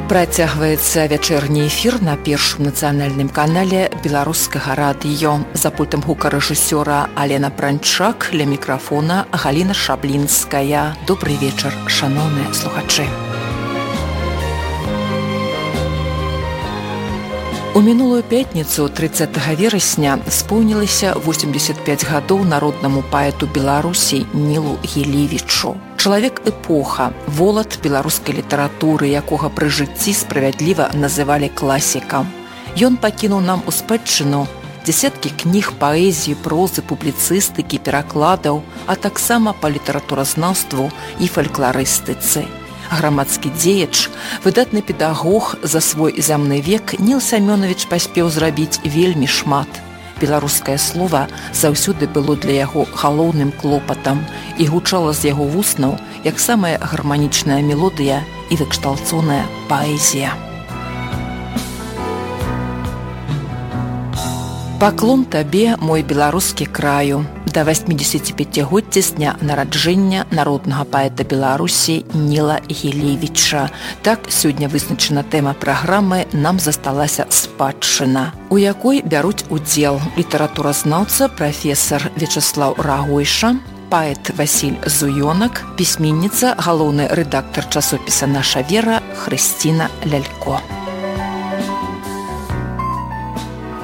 Працягваецца вячэрні эфір на першым нацыянальным канале беларускага радыё. За пультам гукарэжысёра Алена Пранчак, ля мікрафона Галіна Шаблінская. Добрый вечар, шаноўныя слухачы. У мінулую пятніцу 30 верасня споўнілася 85 гадоў народнаму паэту Беларусі Нілу Гілевічу. Чалавек эпоха, волат беларускай літаратуры, якога пры жыцці справядліва называлі класікам. Ён пакінуў нам у спадчыну дзесяткі кніг паэзіі, прозы, публіцыстыкі, перакладаў, а таксама па літаратуразнаўству і фалькларыстыцы. Грамадскі дзеяч, выдатны педагог, за свой зямны век Ніл Сямёнавіч паспеў зрабіць вельмі шмат. Беларускае слова заўсёды было для яго галоўным клопатам і гучала з яго вуснаў як самая гарманічная мелодыя і выкшталцоная паэзія. Паклон табе, мой беларускі краю, да 85-годдзя з дня нараджэння народнага паэта Беларусі Ніла Гілевіча. Так сёння вызначана тэма праграмы «Нам засталася спадчына», у якой бяруць удзел літаратуразнаўца прафесар Вячаслаў Рагойша, паэт Васіль Зуёнак, пісьменніца, галоўны рэдактар часопіса «Наша вера» Хрысціна Лялько.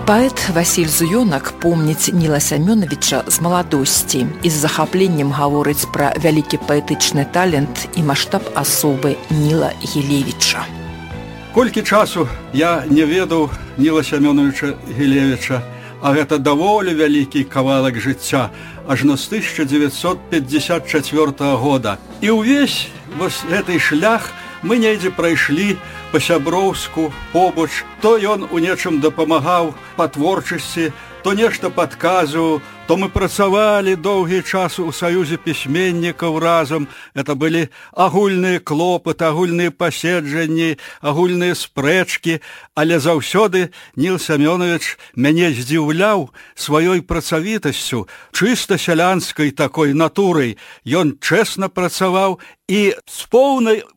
Паэт Васіль Зуёнак помніць Ніла Сямёнавіча з маладосці і з захапленнем гаворыць пра вялікі паэтычны талент і маштаб асобы Ніла Гілевіча. Колькі часу я не ведаў Ніла Сямёнавіча Гілевіча, а гэта даволі вялікі кавалак жыцця, ажно з 1954 года. І ўвесь вось гэты шлях мы недзе прайшлі па-сяброўску, побач. То ён у нечым дапамагаў па творчасці, то нешта падказваў, то мы працавалі доўгі час у саюзе пісьменнікаў разам. Это былі агульныя клопаты, агульныя паседжанні, агульныя спрэчкі, але заўсёды Ніл Сямёнавіч мяне здзіўляў сваёй працавітасцю, чыста сялянскай такой натурай. Ён чэсна працаваў і з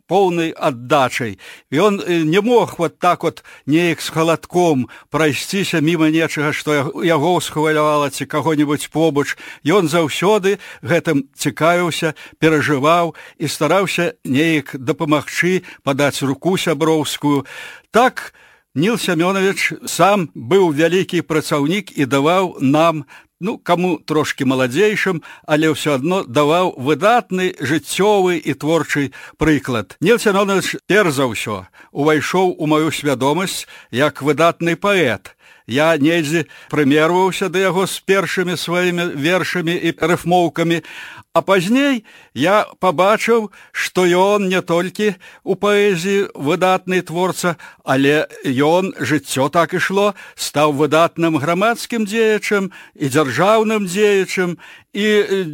поўнай аддачай. Ён не мог вот так вот неяк з халадком прайсціся міма нечага, што яго ўсхвалявала ці каго-небудзь побач. Ён заўсёды гэтым цікавіўся, перажываў і стараўся неяк дапамагчы, падаць руку сяброўскую. Так Ніл Сямёнавіч сам быў вялікі працаўнік і даваў нам, каму трошкі маладзейшым, але ўсё адно даваў выдатны жыццёвы і творчы прыклад. Ніл Сямёнавіч перш за ўсё увайшоў у маю свядомасць як выдатны паэт. Я недзе прымерваўся да яго з першымі сваімі вершамі і рыфмоўкамі, а пазней я пабачыў, што ён не толькі у паэзіі выдатны творца, але ён, жыццё так ішло, стаў выдатным грамадскім дзеячам і дзяржаўным дзеячам, і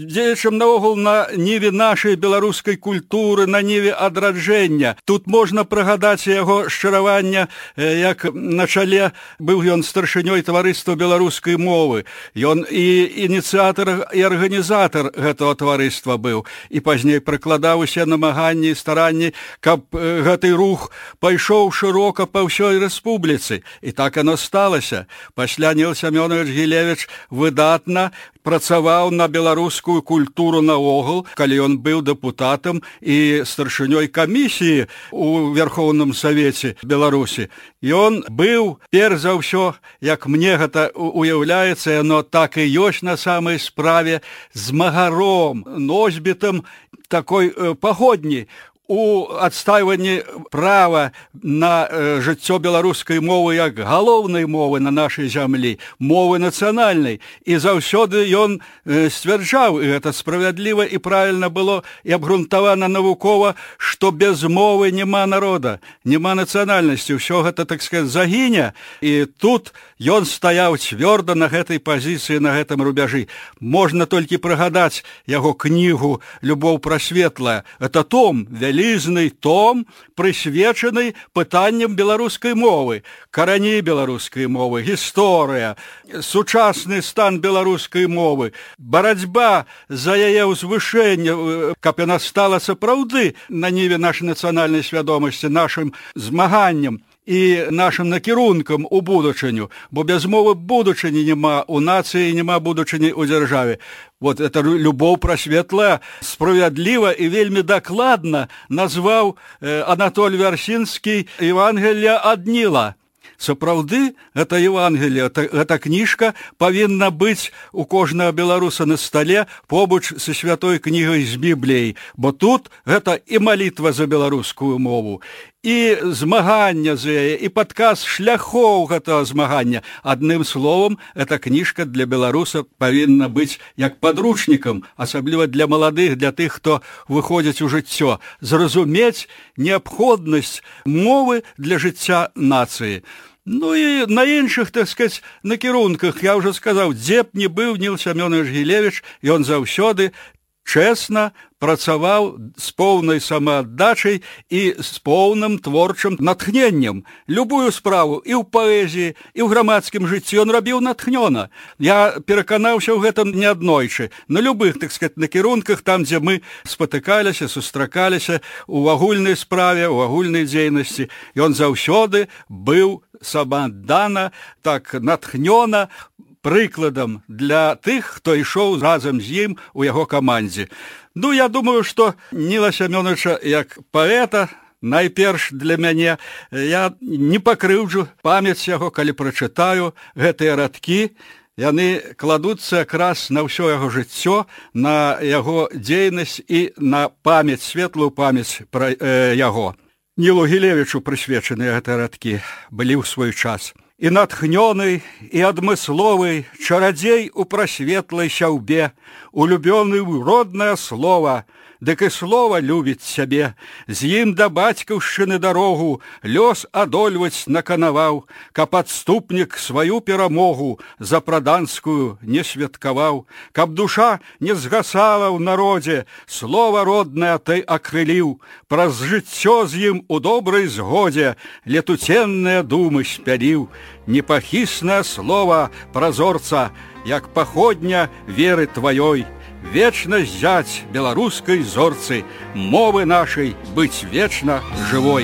дзеячам наогул на ніве нашай беларускай культуры, на ніве адраджэння. Тут можна прыгадаць яго шчыравання, як на чале быў ён старшынёй таварыства беларускай мовы. Ён і ініцыятар, і арганізатар гэтага таварыства быў, і пазней прыкладаў усе намаганні і старанні, каб гэты рух пайшоў шырока па ўсёй рэспубліцы. І так яно сталася. Пасля Ніл Сямёнавіч Гілевіч выдатна працаваў на беларускую культуру наогул, калі ён быў дэпутатам і старшынёй камісіі у Верхоўным Савеце Беларусі. Ён быў, перш за ўсё, як мне гэта уяўляецца, яно так і ёсць на самай справе, змагаром, носьбітам такой пагодні у адстайванні права на жыццё беларускай мовы як галоўнай мовы на нашай зямлі, мовы нацыянальнай. І заўсёды ён сцвярджаў, і гэта справядліва і правільна было, і абгрунтавана навукова, што без мовы няма народа, няма нацыянальнасці, ўсё гэта, так сказаць, загіне. І тут ён стаяў цвёрда на гэтай пазіцыі, на гэтым рубяжы. Можна толькі прыгадаць яго кнігу «Любоў прасветлая». Это том вялікі, вялізны том, прысвечаны пытанням беларускай мовы, карані беларускай мовы, гісторыя, сучасны стан беларускай мовы, барацьба за яе ўзвышэнне, каб яна стала сапраўды на ніве нашай нацыянальнай свядомасці, нашым змаганнем і нашым накірункам у будучыню, бо без мовы будучыні няма у нацыі, няма будучыні ў дзяржаве. Вот это любоў прасветлая, справядліва і вельмі дакладна назваў Анатоль Вярсінскі «Евангелие ад Ніла». Сапраўды, гэта Евангелие, гэта кніжка павінна быць у кожнага беларуса на стале побач са святой кнігай з Бібліяй, бо тут гэта і малітва за беларускую мову, і змагання за яе, і падказ шляхоў гэтага змагання. Адным словам, эта кніжка для беларуса павінна быць як падручнікам, асабліва для маладых, для тых, хто выходзіць у жыццё, зразумець неабходнасць мовы для жыцця нацыі. Ну і на іншых, так сказаць, накірунках, я ўжо сказаў, дзе б не быў Ніл Сямёнович Гілевіч, ён заўсёды чэсна працаваў з поўнай самааддачай і з поўным творчым натхненнем. Любую справу і ў паэзіі, і ў грамадскім жыцці ён рабіў натхнёна. Я пераканаўся ў гэтым неаднойчы. На любых, так сказаць, накірунках, там, дзе мы спатыкаліся, сустракаліся, у агульнай справе, у агульнай дзейнасці. Ён заўсёды быў самааддана, так натхнёна, прыкладам для тых, хто ішоў разам з ім у яго камандзе. Ну, я думаю, што Ніла Сямёновича як паэта, найперш для мяне, я не пакрыўджу памяць яго, калі прачытаю гэтыя радкі. Яны кладуцца якраз на ўсё яго жыццё, на яго дзейнасць і на памяць, светлую памяць пра яго. Нілу Гілевічу прысвечаныя гэтыя радкі былі ў свой час. І натхнёны, і адмысловы, чарадзей у прасветлай сяўбе, улюбёны ў роднае слова, дык і слова любіць сябе, з ім да бацькаўшчыны дарогу лёс адольваць наканаваў, каб адступнік сваю перамогу за праданскую не святкаваў, каб душа не згасала ў народзе, слова роднае ты акрыліў, праз жыццё з ім у добрай згодзе летуценныя думы спяліў, непахіснае слова празорца, як паходня веры тваёй, вечна зяць беларускай зорцы, мовы нашай быць вечна жывой.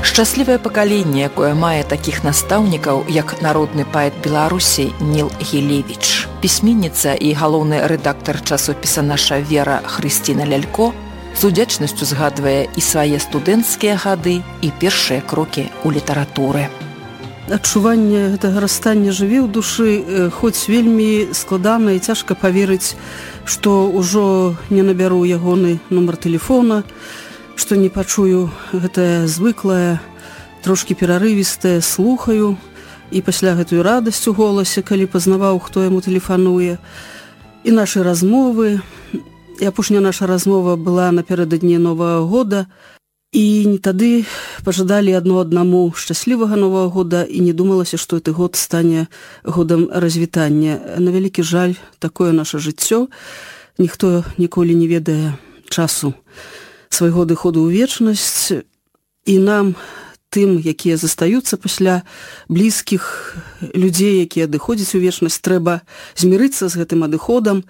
Шчаслівае пакаленне, якое мае такіх настаўнікаў, як народны паэт Беларусі Ніл Гілевіч. Пісьменніца і галоўны рэдактар часопіса «Наша вера» Хрысціна Лялько з удзячнасцю згадвае і свае студэнцкія гады, і першыя крокі ў літаратуры. Адчуванне гэтага расстання жыве ў душы, хоць вельмі складана і цяжка паверыць, што ўжо не набяру ягоны нумар тэлефона, што не пачую гэтае звыклае, трошкі перарывістае, слухаю, і пасля гэтую радасць у голасе, калі пазнаваў, хто яму тэлефануе, і нашы размовы. І апошняя наша размова была напярэдадні Новага года, і тады пажадалі адно аднаму шчаслівага Новага года, і не думалася, што гэты год стане годам развітання. На вялікі жаль, такое наша жыццё. Ніхто ніколі не ведае часу свайго адыходу ў вечнасць, і нам, тым, якія застаюцца пасля блізкіх людзей, якія адыходзяць у вечнасць, трэба змірыцца з гэтым адыходам.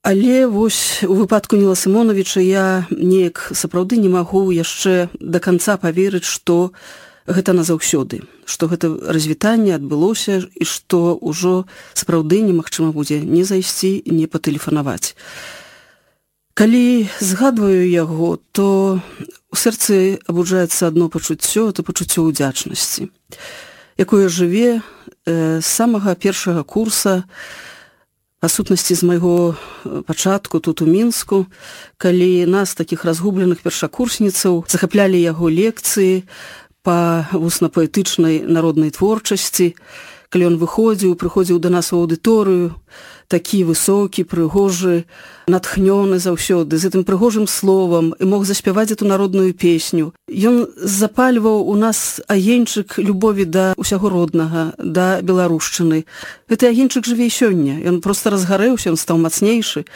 Але вось у выпадку Ніла Сімоновіча я неяк сапраўды не магу яшчэ да канца паверыць, што гэта назаўсёды, што гэта развітанне адбылося і што ўжо сапраўды немагчыма будзе не зайсці, не патэлефанаваць. Калі згадваю яго, то у сэрцы абуджаецца адно пачуццё, это пачуццё ўдзячнасці, якое жыве з самага першага курса, па сутнасці з майго пачатку тут у Мінску, калі нас, такіх разгубленых першакурсніцаў, захаплялі яго лекцыі па вусна-паэтычнай народнай творчасці, калі ён прыходзіў да нас у аўдыторыю, такі высокі, прыгожы, натхнёны заўсёды, з гэтым прыгожым словам і мог заспяваць эту народную песню. Ён запальваў у нас агеньчык любові да ўсяго роднага, да беларушчыны. Гэты агеньчык жыве і сёння. Ён проста разгарэўся, ён стаў мацнейшы.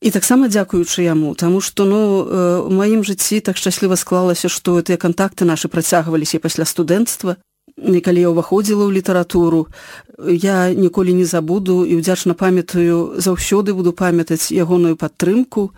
І таксама дзякуючы яму, таму што у маім жыцці так шчасліва склалася, што гэтыя кантакты нашы працягваліся пасля студэнцтва. І калі я ўваходзіла ў літаратуру, я ніколі не забуду і ўдзячна памятаю, заўсёды буду памятаць ягоную падтрымку.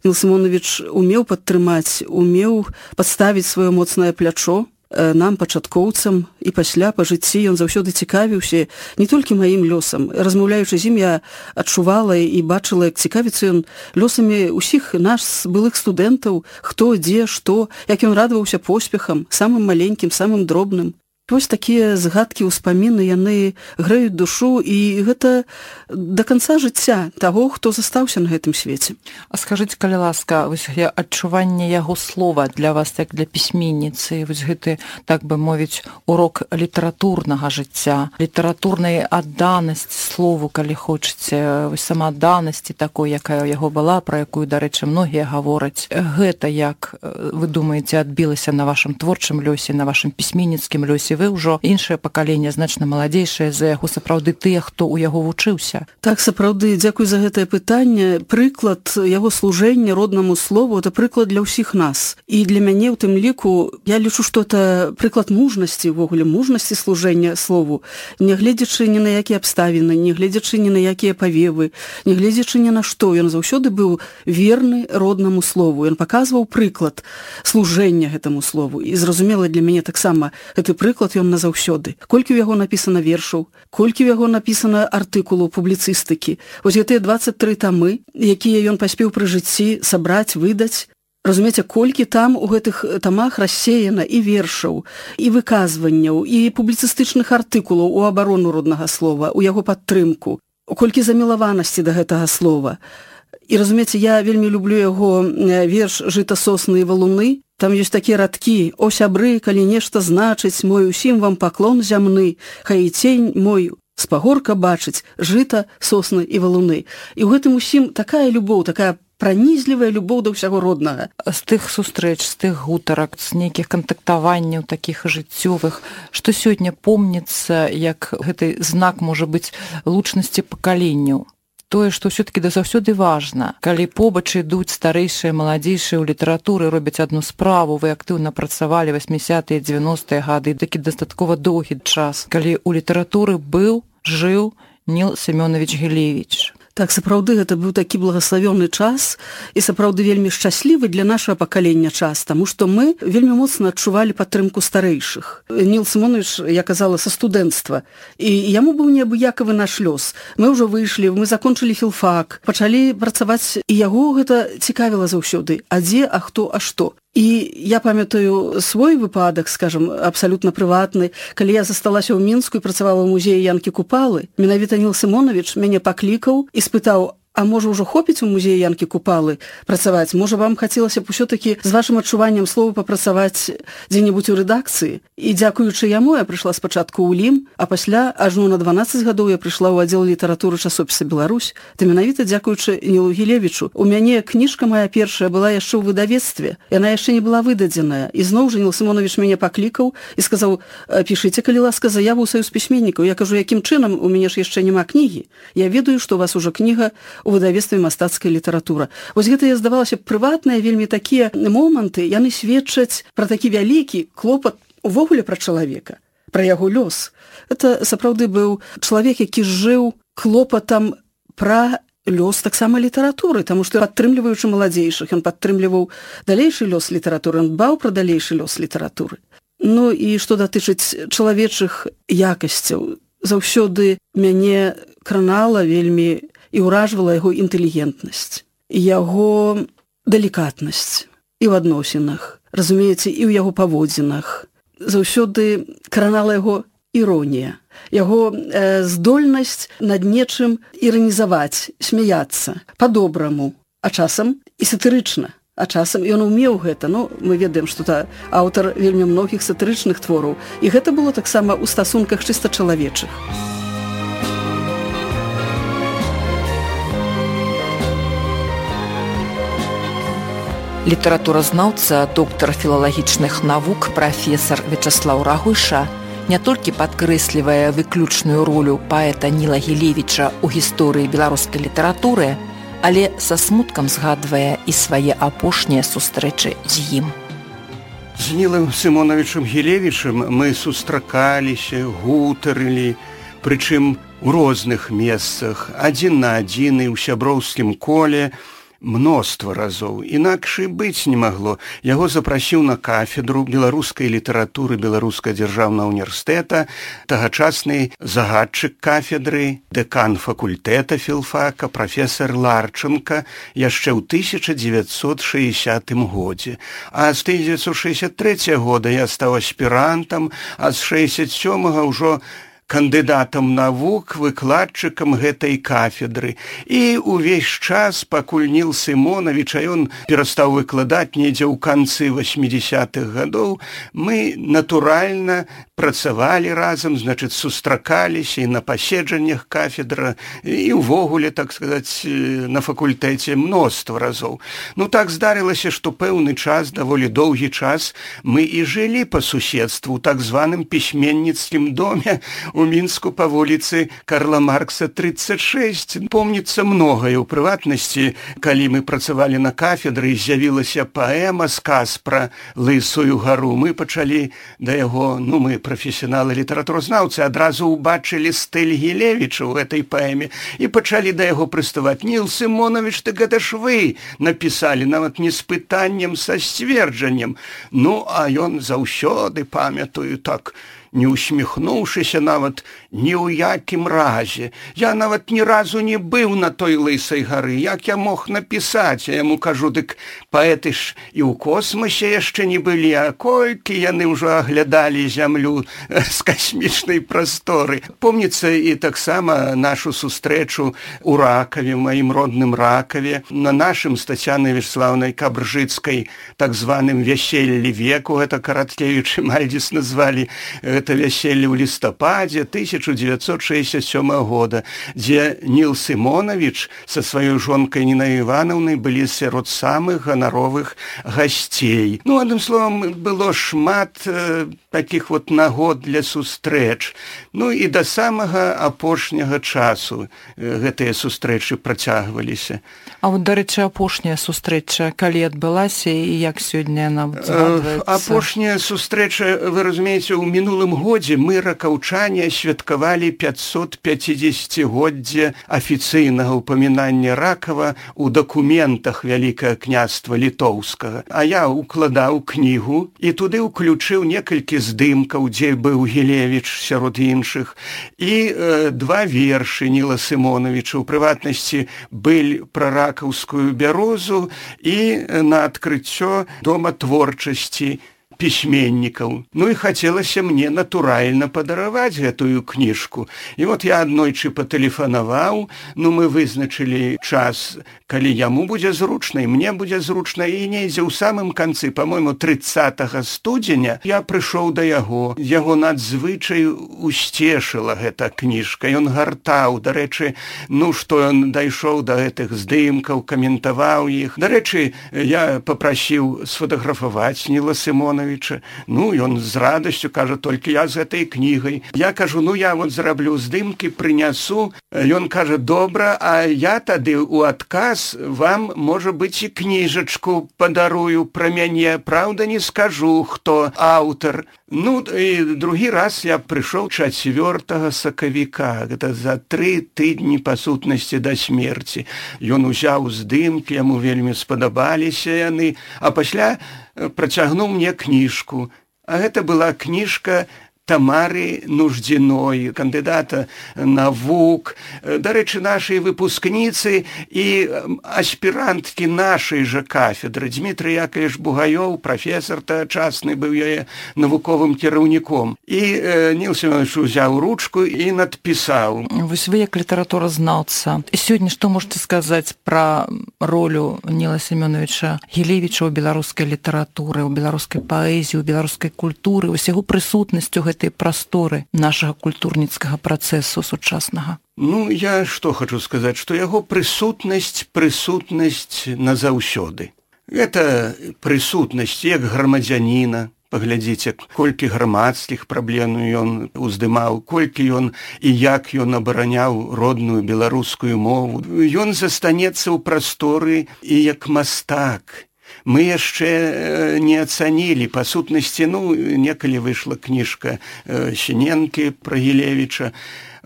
Ніл Сімонович умеў падтрымаць, умеў падставіць сваё моцнае плячо нам, пачаткоўцам, і пасля па жыцці ён заўсёды цікавіўся не толькі маім лёсам. Размаўляючы з ім, я адчувала і бачыла, як цікавіцца ён лёсамі ўсіх нас былых студэнтаў, хто, дзе, што, як ён радаваўся поспехам, самым маленькім, самым дробным. Вось такія згадкі, ўспаміны, яны грэюць душу, і гэта да канца жыцця таго, хто застаўся на гэтым свеце. А скажыце, калі ласка, вось адчуванне яго слова для вас, як для пісьменніцы, вось гэты, так бы мовіць, урок літаратурнага жыцця, літаратурнай адданасці слову, калі хочаце, вось самаадданасці такой, якая ў яго была, пра якую, дарэчы, многія гавораць. Гэта, як вы думаеце, адбілася на вашым творчым лёсе, на вашым пісьменніцкім лёсе? Вы ўжо іншае пакаленне, значна маладзейшае за яго, сапраўды тыя, хто ў яго вучыўся. Так, сапраўды, дзякуй за гэтае пытанне. Прыклад яго служэння роднаму слову — это прыклад для ўсіх нас. І для мяне ў тым ліку, я лічу, што это прыклад мужнасці, увогуле мужнасці служэння слову, не гледзячы ні на якія абставіны, не гледзячы ні на якія павевы, не гледзячы ні на што. Ён заўсёды быў верны роднаму слову. Ён паказваў прыклад служэння гэтаму слову. І зразумела для мяне таксама гэты прыклад ён назаўсёды. Колькі ў яго напісана вершаў, колькі ў яго напісана артыкулаў публіцыстыкі. Вось гэтыя 23 тамы, якія ён паспеў пры жыцці сабраць, выдаць. Разумееце, колькі там у гэтых тамах рассеяна і вершаў, і выказванняў, і публіцыстычных артыкулаў у абарону роднага слова, у яго падтрымку. Колькі замілаванасці да гэтага слова. І, разумееце, я вельмі люблю яго верш «Жыта, сосны і валуны». Там ёсць такія радкі: «О, сябры, калі нешта значыць, мой усім вам паклон зямны, хай і цень мой з пагорка бачыць, жыта, сосны і валуны». І ў гэтым усім такая любоў, такая пранізлівая любоў да ўсяго роднага. З тых сустрэч, з тых гутарак, з нейкіх кантактаванняў такіх жыццёвых, што сёння помніцца, як гэты знак можа быць лучнасці пакаленняў? Тое, што ўсё-такі заўсёды важна. Калі побач ідуць старэйшыя, маладзейшыя ў літаратуры, робяць адну справу, вы актыўна працавалі 80-е, 90-е гады, такі дастаткова доўгі час, калі ў літаратуры жыў Ніл Семёнович Гілевіч. Так, сапраўды, гэта быў такі благаславёны час і сапраўды вельмі шчаслівы для нашага пакалення час, таму што мы вельмі моцна адчувалі падтрымку старэйшых. Ніл Сімонович, я казала, са студэнцтва, і яму быў неабыякавы наш лёс. Мы ўжо выйшлі, мы закончылі філфак, пачалі працаваць, і яго гэта цікавіла заўсёды. А дзе, а хто, а што? І я памятаю свой выпадак, скажам, абсалютна прыватны, калі я засталася ў Мінску і працавала ў музеі Янкі Купалы, менавіта Ніл Сімонович мяне паклікаў і спытаў: а можа ўжо хопіць у музеі Янкі Купалы працаваць? Можа вам хацелася б усё-такі з вашым адчуваннем слова папрацаваць дзе-небудзь у рэдакцыі? І дзякуючы яму я прыйшла спачатку ў ЛІМ, а пасля ажно на 12 гадоў я прыйшла ў аддзел літаратуры часопіса «Беларусь». Ты менавіта дзякуючы Нілу Гілевічу. У мяне кніжка моя першая была яшчэ ў выдавецтве. Яна яшчэ не была выдадзеная. І зноў жа Ніл Сімонович мяне паклікаў і сказаў: пішыце, калі ласка, заяву ў саюз пісьменнікаў. Я кажу: якім чынам? У мяне ж яшчэ няма кнігі. Я ведаю, што у вас ужо кніга у выдавецтве «Мастацкая літаратура». Вось гэта, здавалася б, прыватныя вельмі такія моманты, яны сведчаць пра такі вялікі клопат увогуле пра чалавека, пра яго лёс. Это сапраўды быў чалавек, які жыў клопатам пра лёс таксама літаратуры, таму што, падтрымліваючы маладзейшых, ён падтрымліваў далейшы лёс літаратуры, ён дбаў пра далейшы лёс літаратуры. Ну і што датычыць чалавечых якасцяў, заўсёды мяне кранала вельмі і ўражвала яго інтэлігентнасць, яго далікатнасць і ў адносінах, разумееце, і ў яго паводзінах. Заўсёды кранала яго іронія, яго здольнасць над нечым іранізаваць, смяяцца па-добраму, а часам і сатырычна. А часам ён умеў гэта. Ну, мы ведаем, што аўтар вельмі многіх сатырычных твораў. І гэта было таксама ў стасунках чыста чалавечых. Літаратуразнаўца, доктар філалагічных навук, прафесар Вячаслаў Рагуйша не толькі падкрэслівае выключную ролю паэта Ніла Гілевіча ў гісторыі беларускай літаратуры, але са смуткам згадвае і свае апошнія сустрэчы з ім. З Нілам Сымонавічам Гілевічам мы сустракаліся, гутарылі, прычым у розных месцах, адзін на адзін і ў сяброўскім коле, мноства разоў. Інакш і быць не магло. Яго запрасіў на кафедру беларускай літаратуры Беларускага дзяржаўнага універсітэта тагачасны загадчык кафедры, дэкан факультэта філфака, прафесар Ларченка яшчэ ў 1960 годзе. А з 1963 года я стаў аспірантам, а з 67-го ўжо кандыдатам навук, выкладчыкам гэтай кафедры. І ўвесь час, пакуль Ніл Сымонавіч, а ён перастаў выкладаць недзе ў канцы 80-х гадоў, мы натуральна працавалі разам, значыць, сустракаліся і на паседжаннях кафедра, і ўвогуле, так сказаць, на факультэце мноства разоў. Ну, так здарылася, што пэўны час, даволі доўгі час, мы і жылі па суседству ў так званым пісьменніцкім доме у Мінску па вуліцы Карла Маркса 36. Помніцца многае. У прыватнасці, калі мы працавалі на кафедры, з'явілася паэма, сказ пра Лысую гару. Мы пачалі да яго, мы прафесіяналы літаратуразнаўцы, адразу ўбачылі стыль Гілевіча ў гэтай паэме і пачалі да яго прыставаць. Ніл Сымонавіч, ты гэта ж вы напісалі, нават не з пытаннем, са сцверджаннем. А ён заўсёды, памятаю, так, не усміхнуўшыся нават ні ў якім разе. Я нават ні разу не быў на той Лысай гары. Як я мог напісаць? Я яму кажу, дык паэты ж і ў космосе яшчэ не былі, а колькі яны ўжо аглядалі зямлю з касмічнай прасторы. Помніцца і таксама нашу сустрэчу ў Ракаве, маім родным Ракаве, на нашым з Тацянай Вячеславнай Кабржыцкай так званым вяселлі веку, гэта Караткевіч і Мальдзіс назвалі гэта вяселле ў лістападзе 1967 года, дзе Ніл Сымонавіч са сваёй жонкай Нінай Іванаўнай былі сярод самых ганаровых гасцей. Адным словам, было шмат такіх нагод для сустрэч. І да самага апошняга часу гэтыя сустрэчы працягваліся. А дарэчы, апошняя сустрэча калі адбылася і як сёння яна згадваецца? Апошняя сустрэча, вы разумееце, у мінулым годзе мы, ракаўчане, святкавалі 550-годдзе афіцыйнага ўпамінання Ракава ў дакументах Вялікага княства Літоўскага. А я укладаў кнігу і туды ўключыў некалькі здымкаў, дзе быў Гілевіч сярод іншых, і 2 вершы Ніла Сымонавіча, у прыватнасці «Быль пра ракаўскую бярозу» і на адкрыццё Дома творчасці пісьменнікаў. І хацелася мне натуральна падараваць гэтую кніжку. І я аднойчы патэлефанаваў, мы вызначылі час, калі яму будзе зручна, і мне будзе зручна, і недзе ў самым канцы, па-мойму, 30 студзеня, я прыйшоў да яго. Яго надзвычай усцешыла гэта кніжка. Ён гартаў, дарэчы, што ён дайшоў да гэтых здымкаў, каментаваў іх. Дарэчы, я папрасіў сфотаграфаваць Ніла Сымонавіча. Ён з радасцю кажа, толькі я з гэтай кнігай. Я кажу, я зраблю здымкі, прынясу. Ён кажа, добра, а я тады ў адказ вам, можа быць, і кніжачку падарую пра мяне. Праўда, не скажу, хто аўтар. І другі раз я прыйшоў 4 сакавіка, гэта за 3 тыдні па сутнасці да смерці. Ён узяў здымкі, яму вельмі спадабаліся яны, а пасля працягнуў мне кніжку. А гэта была кніжка Тамары Нуждзіной, кандыдата навук, дарэчы, нашай выпускніцы і аспіранткі нашай жа кафедры. Дмітрый Яковлевич Бугаёў, прафесар тагачасны, быў яе навуковым кіраўніком. І Ніл Семёнович узяў ручку і надпісаў. Вось вы, як літаратуразнаўца, сёння што можете сказаць пра ролю Ніла Семёновича Гілевіча ў беларускай літаратуры, у беларускай паэзіі, у беларускай культуры, вось яго прысутнасцю гэтай прасторы нашага культурніцкага працэсу сучаснага? Ну, я што хочу сказаць, што яго прысутнасць назаўсёды. Гэта прысутнасць як грамадзяніна. Паглядзіце, колькі грамадскіх праблем ён уздымаў, колькі ён і як ён абараняў родную беларускую мову. Ён застанецца ў прасторы і як мастак. Мы яшчэ не ацанілі, па сутнасці, некалі выйшла кніжка Сіненкі пра Гілевіча,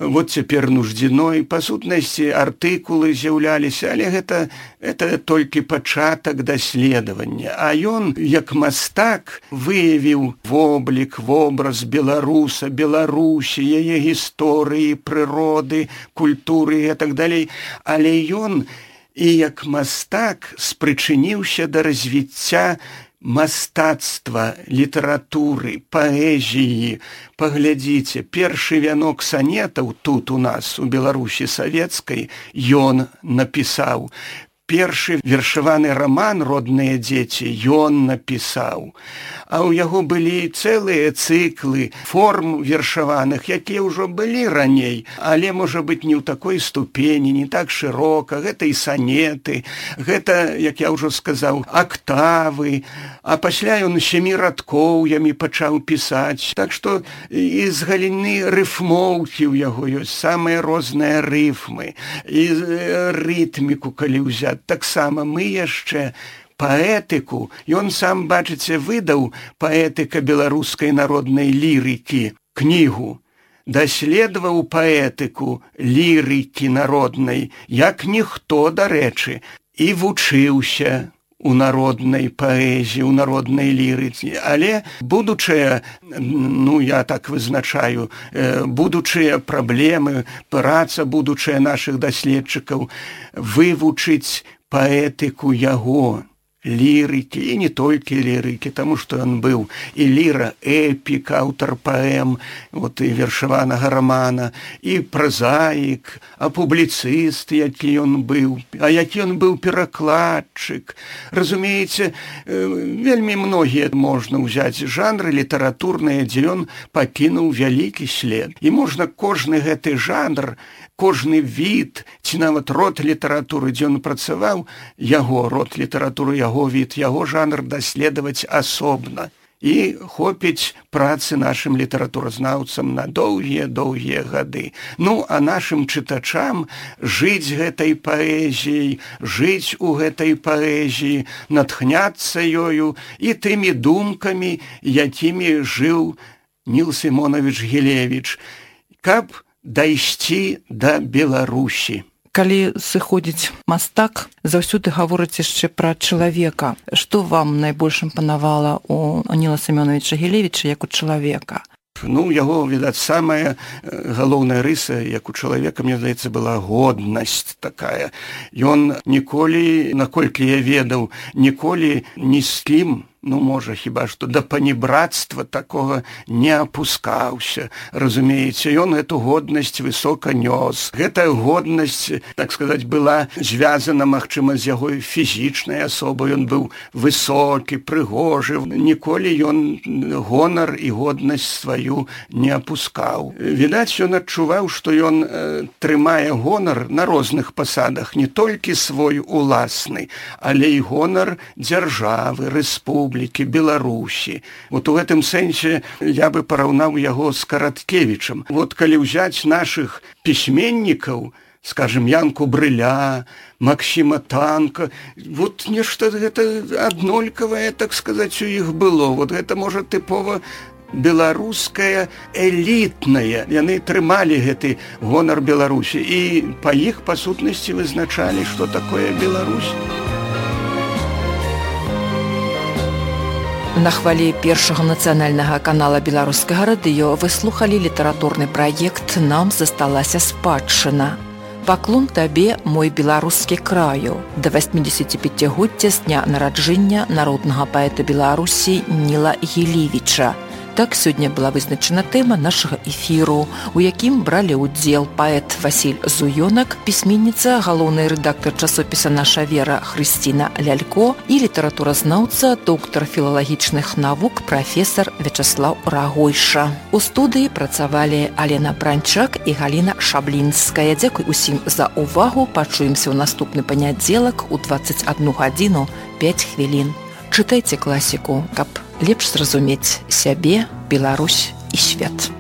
вот цяпер Нуждзіной, па сутнасці артыкулы з'яўляліся, але гэта толькі пачатак даследавання. А ён, як мастак, выявіў воблік, вобраз беларуса, Беларусі, яе гісторыі, прыроды, культуры і так далей. Але ён і як мастак спрычыніўся да развіцця мастацтва, літаратуры, паэзіі. Паглядзіце, першы вянок санетаў тут у нас, у Беларусі савецкай, ён напісаў. Першы вершаваны раман «Родныя дзеці» ён напісаў. А ў яго былі цэлыя цыклы форм вершаваных, якія ўжо былі раней, але, можа быць, не ў такой ступені, не так шырока. Гэта і санеты, гэта, як я ўжо сказаў, актавы, а пасля ён 7 радкоўямі пачаў пісаць. Так што і з галіны рыфмоўкі ў яго ёсць самыя розныя рыфмы, і рытміку, калі ўзяць. Таксама мы яшчэ паэтыку, ён сам, бачыце, выдаў «Паэтыка беларускай народнай лірыкі» кнігу, даследаваў паэтыку лірыкі народнай, як ніхто, дарэчы, і вучыўся у народнай паэзіі, у народнай лірыцы. Але будучыя, я так вызначаю, будучыя праблемы, праца будучая нашых даследчыкаў, вывучыць паэтыку яго, лірыкі, і не толькі лірыкі, таму што ён быў і ліра-эпік, аўтар паэм, і вершаванага рамана, і празаік, а публіцыст, які ён быў, а які ён быў перакладчык. Разумееце, вельмі многія можна ўзяць жанры літаратурныя, дзе ён пакінуў вялікі след. І можна кожны гэты жанр, кожны від, ці нават род літаратуры, дзе ён працаваў, яго род літаратуры, яго від, яго жанр даследаваць асобна. І хопіць працы нашым літаратуразнаўцам на доўгія гады. А нашым чытачам жыць гэтай паэзіяй, жыць у гэтай паэзіі, натхняцца ёю і тымі думкамі, якімі жыў Ніл Семёнович Гілевіч, каб дайсці да Беларусі. Калі сыходзіць мастак, заўсёды гаворыць яшчэ пра чалавека. Што вам найбольш імпанавала у Ніла Семёновича Гілевіча як у чалавека? Яго, відаць, самая галоўная рыса, як у чалавека, мне здаецца, была годнасць такая. Ён ніколі, наколькі я ведаў, ніколі ні з кім, можа, хіба што да панібрацтва такога не апускаўся. Разумееце, ён эту годнасць высока нёс. Гэтая годнасць, так сказаць, была звязана, магчыма, з яго фізічнай асобай. Ён быў высокі, прыгожы. Ніколі ён гонар і годнасць сваю не апускаў. Відаць, ён адчуваў, што ён трымае гонар на розных пасадах, не толькі свой уласны, але і гонар дзяржавы, рэспублікі, Беларусі. У гэтым сэнсе я бы параўнаў яго з Караткевічам. Калі ўзяць нашых пісьменнікаў, скажем, Янку Брыля, Максіма Танка, нешта гэта аднолькавае, так сказаць, у іх было. Гэта, можа, тыпова беларуская элітная. Яны трымалі гэты гонар Беларусі і па іх, па сутнасці, вызначалі, што такое Беларусь. На хвалі першага нацыянальнага канала беларускага радыё вы слухалі літаратурны праект «Нам засталася спадчына». Паклон табе, мой беларускі краю, да 85-годдзя з дня нараджэння народнага паэта Беларусі Ніла Гілевіча. Так сёння была вызначана тэма нашага эфіру, у якім бралі ўдзел паэт Васіль Зуёнак, пісьменніца, галоўны рэдактар часопіса «Наша вера» Хрысціна Лялько і літаратуразнаўца, доктар філалагічных навук, прафесар Вячаслаў Рагойша. У студыі працавалі Алена Пранчак і Галіна Шаблінская. Дзякуй усім за ўвагу. Пачуемся ў наступны панядзелак у 21 гадзіну 5 хвілін. Чытайце класіку, каб лепш зразумець сябе, Беларусь і свет.